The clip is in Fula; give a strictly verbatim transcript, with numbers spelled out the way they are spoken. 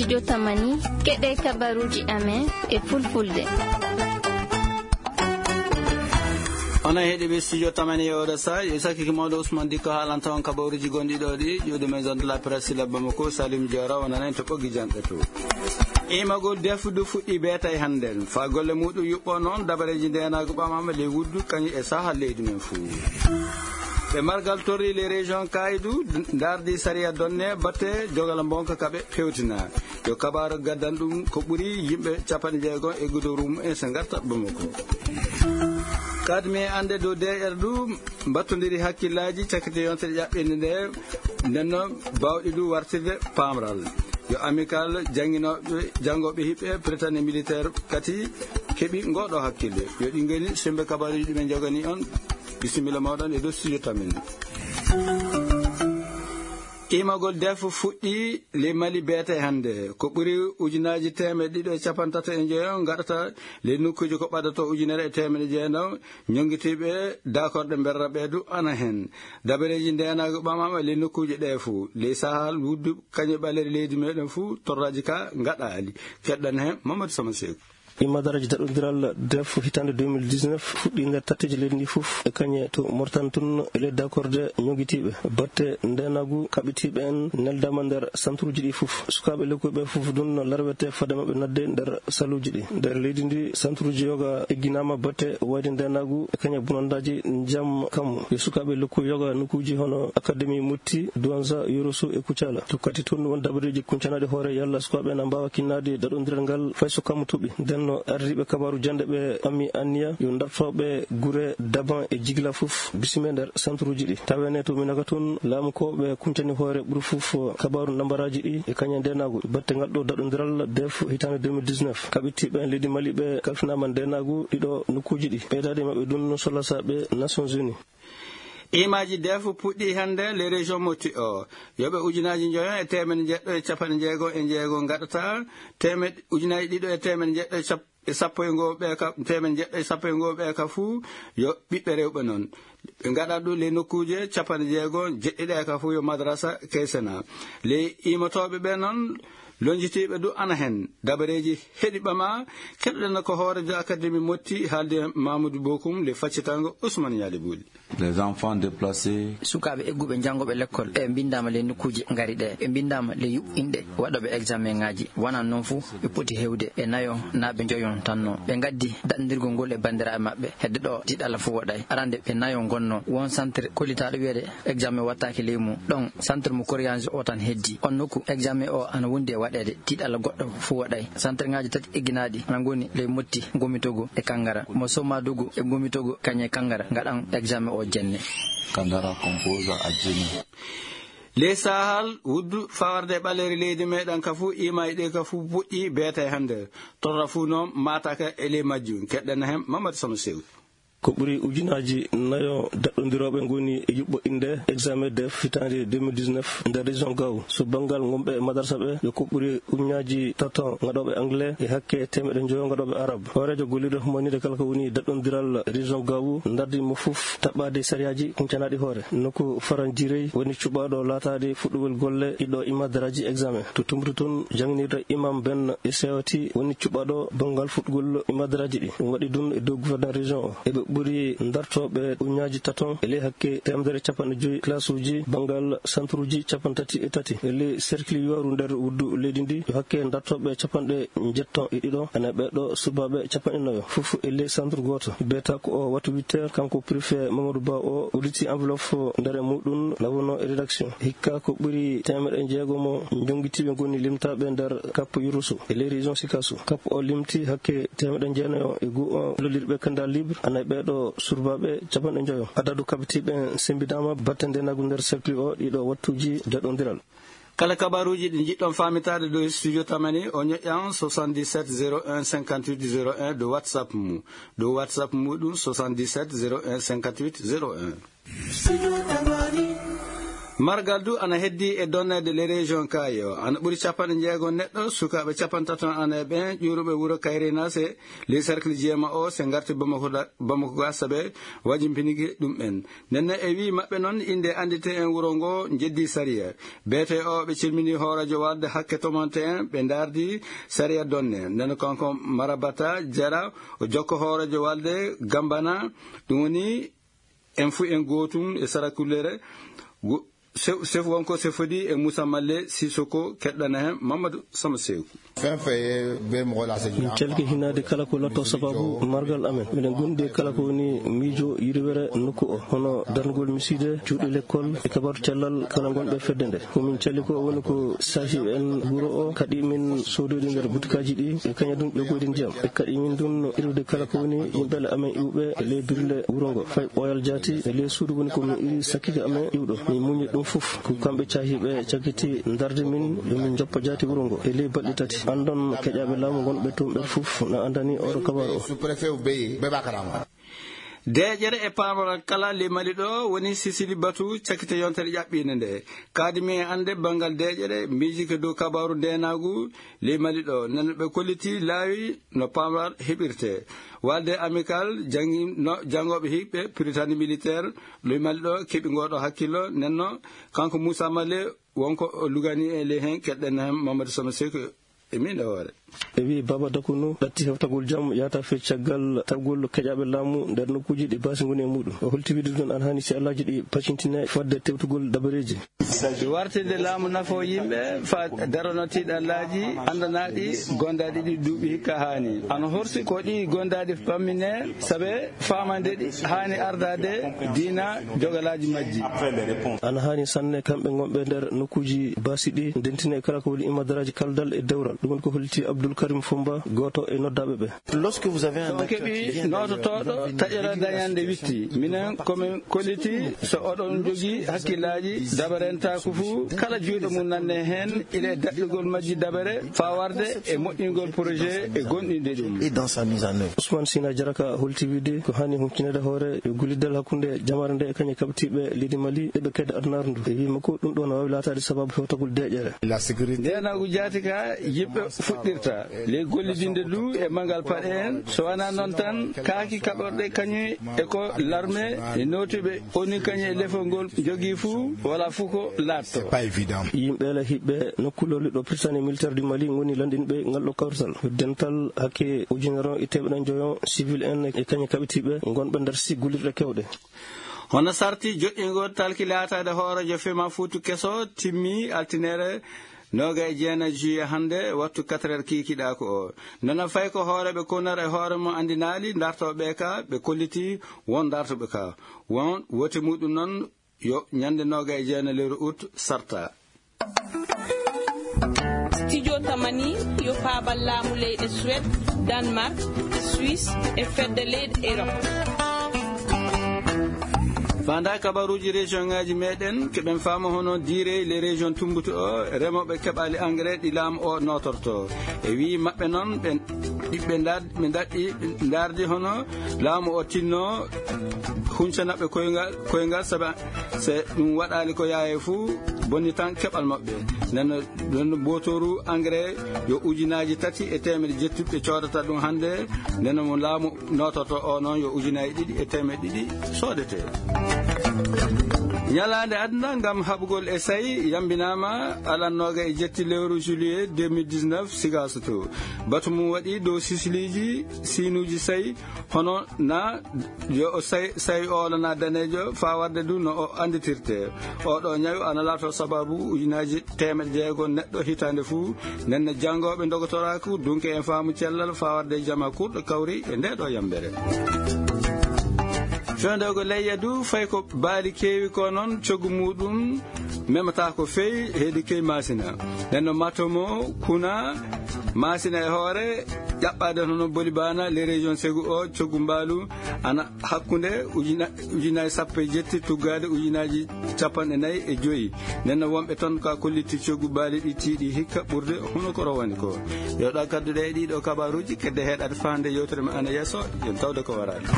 Yo tamani, keɗe kabaruji amen e fulfulde. Onon heɗiɓe studio tamani e oɗo sa, yo sakki mawɗo Ousmane Dikko haalanta on kabaruji gonɗi ɗo ɗi, ƴuwde men zone de la presse Sila Bamako, Salim Diora, wonana en to ɓoggi janɗe to. Imagol defudu fuɗɗi beetay hannden. Fa golle muɗum yuɓɓo noon, dabareeji ndeenaagu ɓamama ley wuddu, kañum e saha leydi men fuu. Ɓe margal torri les régions kaydu, ndardi sariya donne, batte jogala mbonka kaɓe fewtina. Yo kabaru gaddan ɗum ko ɓuri yimɓe capanɗe jeego e gudoru mum en so ngarta Bamako. Kadmi e annde dow D R du mbattondiri hakkillaaji cakkite yontere ƴaɓɓinde nde, nden noon bawɗi du wartirde pamral. Yo amical jannginooɓe, janngooɓe hiɓɓe Britannique militaire kati keɓi ngoɗo hakkille. Yo ɗi ngoni sembe kabaruji ɗi men jogani on. Bisimilla mawɗon e dow studio tamin. Imagol def fuɗɗi le Mali beete hannde. Ko ɓuri ujunaaji teemeɗe ɗiɗo e capanɗe tato e njoyo ngaɗata le nokkuuji ko ɓadato ujunere e teemeɗe jeenaw. Ñonngitiiɓe dakorde mberra ɓeedu ana heen. Dabareeji ndeenaagu ɓamaama le nokkuuji ɗee fuu. Ley Sahal, wuddu kañum ɓaleeri leydi meeɗen fuu, torraaji ka ngaɗaali. Keɗɗan heen Mamadou Sama Seeku. Imadaraji daɗondiral def hitaande deux mille dix-neuf fuɗɗi nder tatteeji leydi ndi fof e kañe to Mauritanie tun e ley dakorde ñonngitiiɓe. Batte ndeenaagu kaɓitiiɓe en neldaama nder santuruuji ɗi fof. Sukaaɓe lekkuɓe fof ɗum no larwete fade maɓɓe nadde nder saluuji ɗi. Nder leydi ndi, santuruuji yoga egginaama batte wayde ndeenaagu e kañe bonandaaji njam kam. Yo sukaaɓe lekku yoga nokkuuji hono Académie Motti, Douenza, Yoroso e Kucala. Tokkati toon won dabareeji kuncanaaɗi hoore yalla sukaaɓe na mbaawa kinnaade daɗondiral ngal fay so kammu toɓi. Nden no ardiiɓe kabaaru jannde ɓe ɓammi anniya yo dartooɓe gure Daban e Jigila fof bisime nder santuruuji ɗi. Tawene to Minaka toon, laamu ko ɓe kuncani hoore ɓuri fof kabaaru nambaraaji ɗi e kañe ndeenaagu. Batte ngal ɗo daɗondiral def hitaande deux mille dix-neuf, kaɓitiiɓe en leydi Mali ɓe kalfinaama ndeenaagu ɗiɗo nokkuuji ɗi. Ɓeydaade maɓɓe ɗum no solasaaɓe Nations Unies. Imaaji def puɗɗi hannde le région Motti o. Yoɓe ujunaaji njoyo e teemedde jeɗɗo e capanɗe jeego e jeego ngaɗata teemed-, ujunaaji ɗiɗo e teemedde jeɗɗo e cap-, e sappo e ngoo ɓe ka, teemedde jeɗɗo e sappo e ngoo ɓe ka fuu yo ɓiɓɓe rewɓe noon. Ɓe ngaɗa ɗum ley nokkuuje capanɗe jeego jeɗɗi ɗe ka fuu yo madrasa keysana. Ley iimotooɓe ɓe noon, lonjitiiɓe du ana heen. Dabareeji heɗi ɓama, keɗoɗen ko hooreejo Académie Motti haaldi e Mamadou Bokum le faccitango Ousmane Ñaali Buuli. Les enfants déplacés. Sukaaɓe egguɓe janngooɓe lekkol e mbinndaama ley nokkuuje ngari ɗe. Ɓe mbinndaama ley yuɓɓinɓe waɗooɓe examen ŋaaji. Wonaa noon fof ɓe poti heewde e nayo naa ɓe njoyon tan no. Ɓe ngaddi daɗndirgol ngol e banndiraaɓe maɓɓe. Hedde ɗo tiiɗalla fof waɗay. Arande ɓe nayo ngonno. Won centre kollitaaɗo wiyeede examen wattaaki ley mum. Ɗon centre mo Koriyanji o tan heddi. On nokku examen o ana wondi e waɗeede. Tiiɗalla goɗɗo fof waɗay. Centre ŋaaji tati egginaaɗi ana ngoni ley Motti, Ngomitogo e Kangara. Mo Somadugu e Ngomitogo kañe Kangara ngaɗan examen o jenne. Kandara composa a jeni. Ley Sahal, wuddu fawarde e ɓaleeri leydi meeɗen ka fuu, iimaaji ɗi ka fuu puɗɗi beetay hannde. Torra fuu noon maataka e ley majjum. Keɗɗen heen Mamadou Sama Sew. Ko ɓuri ujunaaji nayo daɗɗondirooɓe ngoni e yuɓɓo innde examen def hitaande deux mille dix-neuf nder région Gao. So banngal ngonɓe e madarsa ɓe, yo ko ɓuri ujunaaji tato ngaɗooɓe anglais e hakke teemeɗe njoyo ngaɗooɓe arab. Hooreejo gollirɗo humaninde kala ko woni daɗɗondiral région Gao ndardi mo fof taɓɓaade sariyaaji kuncanaaɗi hoore. Nokku Faran Jirey woni cuɓaaɗo laataade fuɗɗugol golle ɗiɗo imadaraaji examen. To Tumbutu toon, jannginirɗo imam ben e sewti woni cuɓaaɗo banngal fuɗɗugol imadaraaji ɗi. Ɗum waɗi ɗum e dow gouverneur région o. Eɓe ɓuri dartooɓe uñaaji taton e ley hakke teemedere capanɗe joyi classe uji banngal centre uji capanɗe tati e tati. E ley cercle yooru nder wuddu leydi ndi, yo hakke dartooɓe capanɗe njetton e ɗiɗo, ene ɓeeɗo subaaɓe capanɗe nayo. Fof e ley centre gooto. Beeta ko o wattu huit heures, kanko préfet Mamadou Ba o udditi enveloppe nder e muɗum, nawno e rédaction. Hikka ko ɓuri teemedde jeegom mo jonngitiiɓe ngoni limtaaɓe nder Cap Yurusu e ley région Sikasso. Cap o limti hakke teemedde jeenayo e goo o lollirɓe candidat libre, ana e ɓeeɗo surbaaɓe capanɗe njoyo. Adadu kabitiiɓe en semmbinaama batte ndeenaagu nder cercle o ɗiɗo wattuuji daɗondiral. Kala kabaruuji ɗi njiɗɗon faamitaade dow studio Tamani, o ñoƴƴan soixante-dix-sept zéro un cinquante-huit zéro un dow WhatsApp mum. Dow WhatsApp muɗum soixante-dix-sept zéro un cinquante-huit zéro un. Margal du ana heddi e donneede les régions kaayo. Ana ɓuri capanɗe jeego neɗɗo, sukaaɓe capantato ana e ɓen ƴuuruɓe wuro Kayrena se les cercles jeema o se ngarti Bamako da-, Bamako ga sabe wajimpinigi ɗum en. Nden non e wii maɓɓe non inde andite en wuro ngo jeddi sariya. Beete o ɓe cilmini hooreejo walde hakke tomonte en ɓe ndardi sariya donne. Nden kanko Marabata Jara o jokko hooreejo walde Gambana, ɗum woni en fu en gootum e sarakullere. Go-, sef, sef wonko sefodi e Moussa Malle Sissoko keɗɗana hen Mamadou Sama Seeku. Fen fe be mɔgɔ lase min calki hinaade kala ko lotto sababu margal amen. Miɗen gondi e kala ko woni miijo yirwere nokku o, hono darnugol misiide, cuuɗi lekkol e kabaru cellal kala gonɓe fedde nde. Ko min cali ko woni ko saahi en wuro o, kaɗi min soododi nder butikaaji ɗi, e kaña ɗum ƴogoyde ndiyam. E kaɗi min ɗum irude kala ko woni yimɓe amen iwɓe e ley birle wuro ngo. Fay ɓooyal jaati e ley suudu woni ko min iri sakkike amen iwɗo. Min muñi ɗum fof. Ko kamɓe caahiiɓe cakkiti ndarde min, yo min njoppa jaati wuro ngo. E ley balɗe tati, anndon keƴaaɓe laamu ngonɓe toon ɓen fof na anndani oɗo kabaru o. Sous-préfet o Beye, ɓe ɓa karama. Deeƴere e paamral kala ley Mali ɗo woni Sisili batu cakkite yontere ƴaɓɓiinde nde. Kaadi mi e annde banngal deeƴere, miijike dow kabaaru ndeenaagu ley Mali ɗo. Nden ɓe kolliti laawi no paamral heɓirte. Walde Amical janngi no janngooɓe hiɓɓe Prytanée militaire ley Mali ɗo keɓi ngooɗo hakkillo. Nden non kanko Moussa Malle wonko o lugani e ley heen, keɗɗen heen Mamadou Sama Seeku e min e hoore. E wii Baba Dakunu ɗatti heftagol jam yaata fe caggal taɓgol keƴaaɓe laamu nder nokkuuji ɗi baasi ngoni e muɗum. O holti wiide ɗum ana hani si allaaji ɗi pacintine fodde tewtugol dabareeji. Wartirde laamu nafo yimɓe fa darano tiiɗallaaji anndanaɗi gondaaɗi ɗi duuɓi hikka haani. Ana horsi ko ɗi gondaaɗi pammine sabe faamande ɗi haani ardaade diina jogalaaji majji. Ana haani sanne kamɓe ngonɓe nder nokkuuji baasi ɗi ndentine kala ko woni imadaraaji kaldal e dewral. Ɗum woni ko holliti Abdoul Karim Fomba, gooto e noddaaɓe ɓe. Lorsque vous avez un... So on acteur qui keɓi vient noototooɗo taƴere dañande witti, minen komin kolliti so oɗon jogii hakkillaaji dabarentaaku fuu, kala juuɗo mum nanne heen, ila e daɗɗugol majji dabere faa warde e moƴƴingol projet e gonɗinde ɗum. Et dans sa mise en œuvre. Ousmane Sina Jaraka holti wiide ko haani humpitineede hoore yo golliddal hakkunde jamaare nde e kañe kaɓitiiɓe leydi Mali e ɓe kedde adunaaru ndu. E wii makko ɗum ɗo no waawi laataade sababu hewtagol deeƴere. La sécurité. Ndeenagu jaati ka yimɓe fuɗɗirta. Ley gollidinde du e manngal paɗe en, so wanaa noon tan, kaaki kaɓorɗe kañum e ko larme e nootuɓe oni kañum e lefol ngol jogii fuu, wala fuu ko laatto. C'est pas évident. Yimɓe la hiɓɓe nokku lolli ɗo Prytanée militaire du Mali ngoni lanndinɓe ngal ɗo kawrital. Dental hakke ujunere on e teemeɗɗe joyo civil en e kañum kaɓitiiɓe ngonɓe nder si gollirɗe kewɗe. Hono sarti joɗɗingol talki laataade hooreejo fema fuutu keso timmi altinere nooga e jeena juillet hannde, wattu quatre heures kiikiɗaaku o. Nana fay ko hooreeɓe konar e hoore mum anndinaali, ndartooɓe ka, ɓe kolliti won ndartooɓe ka. Won wote muɗum noon yo ñande nooga e jeena lewru août sarta. Studio Tamani yo faabal laamu leyɗe Suède, Danemark, Suisse e fedde leyɗe Europe. Fanda kabaruuji région ŋaaji meɗen, keɓen faama hono diire les régions tumbuto o, remooɓe keɓaali engrais ɗi laamu o nootorto. E wii maɓɓe noon, ɓe, ɓe nda-, ɓe ndaɗɗi, ndaardi hono laamu o tinno huncanaɓe koyngal, koyngal, sabu se ɗum waɗaali ko yaaye fuu, bonni tan keɓal maɓɓe. Nden no, nden no bootooru engrais yo ujunaaji tati e teemedde jetti ɓe coodata ɗum hannde, nden no mo laamu noototo o noon yo ujunaaji ɗiɗi e teemedde ɗiɗi soodete. Ñalaande aduna ngam haɓugol e sayi yambinaama alan nooga e jetti lewru juillet deux mille dix-neuf Sigaso to. Batu mum waɗi dow sisiliiji siinuuji sayi, hono na yo o say-, sayi oolo na daneejo, faa warde du no o annditirte. Oɗo ñawu ana laato sababu ujunaaji teemedde jeego neɗɗo hitaande fuu. Nden no janngooɓe ndogotoraaku, dunke en faamu cellal, faa warde jama kurɗo kawri e nde ɗo yambere. Fewndego leyya du, fay ko baali keewi ko noon, coggu muɗum memata ko feewi, heedi key maasina. Nden no matomo, kuna, maasina e hoore, ƴaɓɓaade hono boli baana, les régions segu o, coggu mbaalu, ana hakkunde ujuna-, ujunaaji sappo e jetti, tuggaade ujunaaji capanɗe nayi e joyi. Nden no wonɓe toon ka kolliti coggu baali ɗi tiiɗi hikka ɓurde hono ko rowani ko. Yo ɗa kadduɗe e ɗiɗo kabaruuji, kedde heɗade faande yewtere men ana yeeso, yen tawde ko waraani.